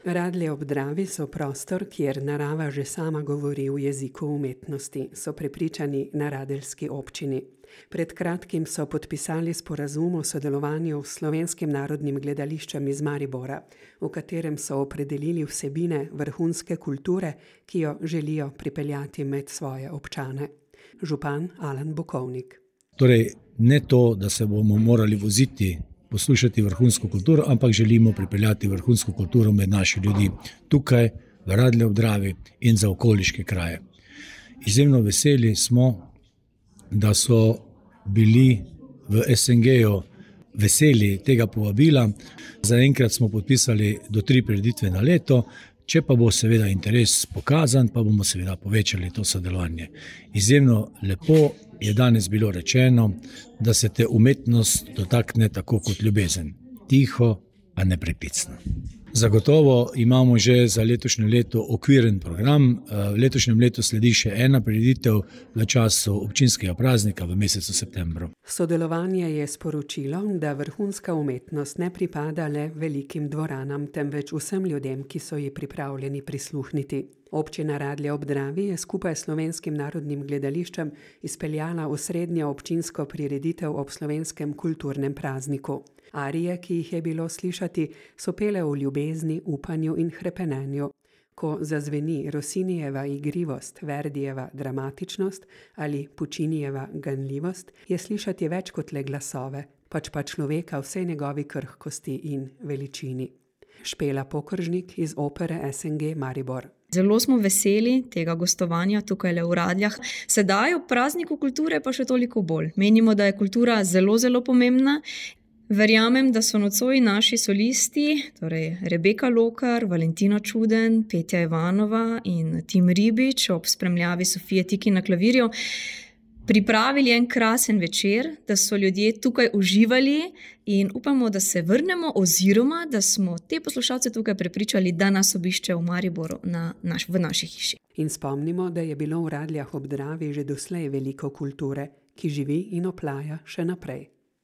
Radlje ob Dravi so prostor, kjer narava že sama govori v jeziku umetnosti, so prepričani na radeljski občini. Pred kratkim so podpisali sporazum o sodelovanju s Slovenskim narodnim gledališčem iz Maribora, v katerem so opredelili vsebine vrhunske kulture, ki jo želijo pripeljati med svoje občane. Župan Alan Bukovnik. Torej, ne to, da se bomo morali voziti poslušati vrhunsko kulturo, ampak želimo pripeljati vrhunsko kulturo med naši ljudi tukaj, v Radlje ob Dravi in za okoliške kraje. Izjemno veseli smo, da so bili v SNG-ju veseli tega povabila. Zaenkrat smo podpisali do 3 prireditve na leto, če pa bo seveda interes pokazan, pa bomo seveda povečali to sodelovanje. Izjemno lepo je danes bilo rečeno, da se te umetnost dotakne tako kot ljubezen. Tiho, a ne prepicno. Zagotovo imamo že za letošnje leto okviren program. V letošnjem letu sledi še ena prireditev v času občinskega praznika v mesecu septembru. Sodelovanje je sporočilo, da vrhunska umetnost ne pripada le velikim dvoranam, temveč vsem ljudem, ki so ji pripravljeni prisluhniti. Občina Radlje ob Dravi je skupaj s Slovenskim narodnim gledališčem izpeljala osrednjo občinsko prireditev ob slovenskem kulturnem prazniku. Arije, ki jih je bilo slišati, so pele o ljubezni, upanju in hrepenenju. Ko zazveni Rossinijeva igrivost, Verdijeva dramatičnost ali Puccinijeva ganljivost, je slišati več kot le glasove, pač pa človeka vsej njegovi krhkosti in veličini. Špela Pokržnik iz opere SNG Maribor. Zelo smo veseli tega gostovanja tukaj v Radljah. Sedaj v prazniku kulture pa še toliko bolj. Menimo, da je kultura zelo, zelo pomembna. Verjamem, da so nocoj naši solisti, torej Rebeka Lokar, Valentina Čuden, Petja Ivanova in Tim Ribič ob spremljavi Sofije Tiki na klavirju, pripravili en krasen večer, da so ljudje tukaj uživali in upamo, da se vrnemo oziroma, da smo te poslušalce tukaj prepričali, da nas obišče v Mariboru v naši hiši. In spomnimo, da je bilo v Radljah ob Dravi že doslej veliko kulture, ki živi in oplaja še naprej.